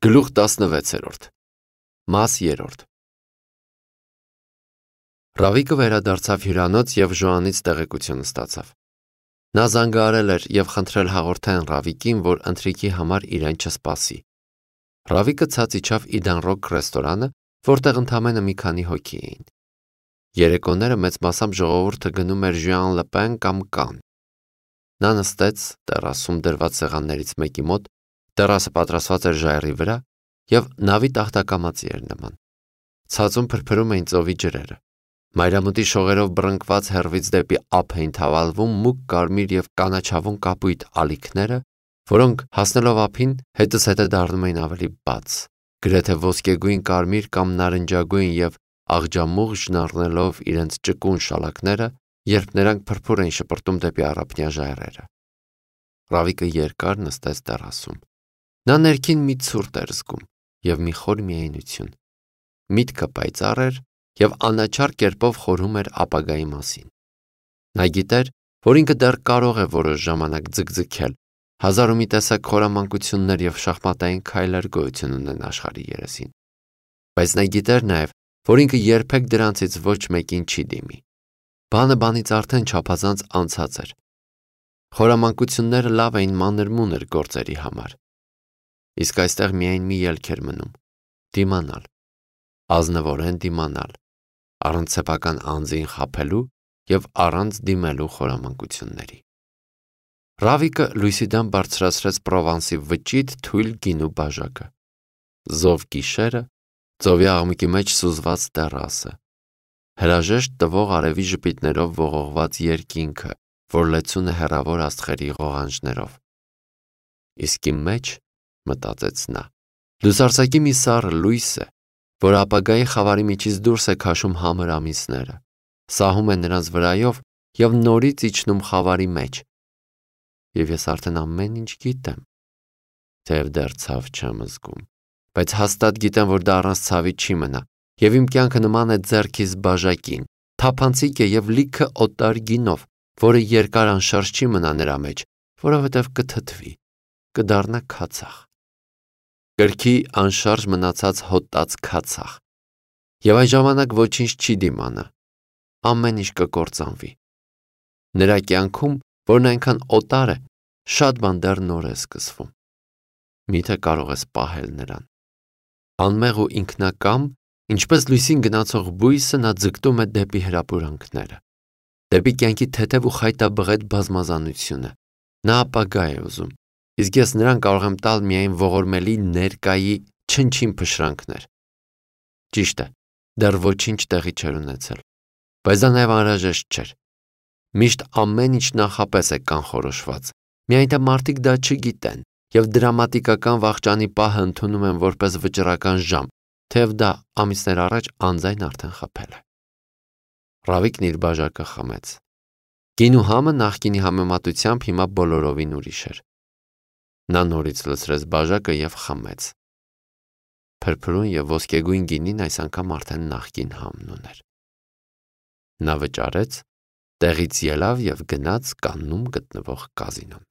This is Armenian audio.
Գլուխ 16 Մաս 3 Ռավիկը վերադարձավ հյուրանոց և Ժոանից տեղեկություն ստացավ։ Նա զանգահարել էր և խնդրել հաղորդեն Ռավիկին, որ ընթրիքի համար իրեն չսպասի։ Ռավիկը ցած իջավ Իդան Ռոք ռեստորանը, որտեղ ընդամենը մի քանի հոգի էին։ Երեկոները մեծ մասամբ ժողովուրդը գնում էր Ժուան Լպեն կամ Կանն։ Նա նստեց տերասում դրված սեղաններից մեկի մոտ, տերասը պատրաստված էր ժայռի վրա և նավի տախտակամածի էր նման։ Ցածում փրփրում էին ծովի ջրերը։ Մայրամուտի շողերով բռնկված հեռվից դեպի ափ էին թավալվում մուգ կարմիր և կանաչավուն կապույտ ալիքները, որոնք հասնելով ափին հետզհետե դառնում էին ավելի բաց, գրեթե ոսկեգույն կարմիր կամ նարնջագույն և աղջամուղջն առնելով իրենց ճկուն շալակները, երբ նրանք փրփուր էին շպրտում դեպի առափնյա ժայռերը։ Ռավիկը երկար նստեց տերասում։ Նա ներքին մի ցուրտ էր զգում և մի խոր միայնություն։ Միտքը պայծառ էր և անաչառ կերպով խորհում էր ապագայի մասին։ Նա գիտեր, որ ինքը դեռ կարող է որոշ ժամանակ ձգձգել, հազար ու մի տեսակ խորամանկություններ և շախմատային քայլեր գոյություն ունեն աշխարհի երեսին։ Բայց նա գիտեր նաև, որ ինքը երբեք դրանցից ոչ մեկին չի դիմի։ Բանը բանից արդեն չափազանց անցած էր։ Խորամանկությունները լավ էին մանր-մունր գործերի համար։ Իսկ այստեղ միայն մի ելք էր մնում՝ դիմանալ, ազնվորեն դիմանալ, առանց սեփական անձին խաբելու և առանց դիմելու խորամանկությունների։ Ռավիկը լույսի դեմ բարձրացրեց Պրովանսի վճիտ թույլ գինու բաժակը։ Զով գիշերը, ծովի աղմուկի մեջ սուզված տերասը, հրաժեշտ տվող արևի ժպիտներով ողողված երկինքը, որ լեցուն է հեռավոր աստղերի ղողանջներով։ Իսկ իմ մեջ, մտածեց նա, լուսարձակի մի սառը լույս է, որ ապագայի խավարի միջից դուրս է քաշում համր ամիսները, սահում է նրանց վրայով և նորից իջնում խավարի մեջ։ Եվ ես արդեն ամեն ինչ գիտեմ, թեև դեռ ցավ չեմ զգում, բայց հաստատ գիտեմ, որ դա առանց ցավի չի մնա, և իմ կյանքը նման է ձեռքիս բաժակին, թափանցիկ է և լիքը օտար գինով, որը երկար անշարժ չի մնա նրա մեջ, որովհետև կթթվի, կդառնա քացախ։ Կրքի անշարժ մնացած հոտած քացախ։ Եվ այն ժամանակ ոչինչ չի դիմանա, ամեն ինչ կկործանվի։ Նրա կյանքում, որն այնքան օտար է, շատ բան դեռ նոր է սկսվում։ Միթե կարող ես պահել նրան։ Անմեղ ու ինքնակամ, ինչպես լույսին գնացող բույսը, նա ձգտում է դեպի հրապուրանքները, դեպի կյանքի թեթև ու խայտաբղետ բազմազանությունը։ Նա ապագա է ուզում, իսկ ես նրան կարող եմ տալ միայն ողորմելի ներկայի չնչին փշրանքներ։ Ճիշտ է, դեռ ոչինչ տեղի չէր ունեցել, բայց դա նաև անհրաժեշտ չէր։ Միշտ ամեն ինչ նախապես է կանխորոշված, միայն թե մարդիկ դա չգիտեն և դրամատիկական վախճանի պահը ընդունում են որպես վճռական ժամ, թեև դա ամիսներ առաջ անձայն արդեն խփել է։ Ռավիկն իր բաժակը խմեց։ Գինու համը նախկինի համեմատությամբ հիմա բոլորովին ուրիշ էր։ Նա նորից լցրեց բաժակը և խմեց։ Փրփրուն և ոսկեգույն գինին այս անգամ արդեն նախկին համն ուներ։ Նա վճարեց, տեղից ելավ և գնաց Կաննում գտնվող կազինոն։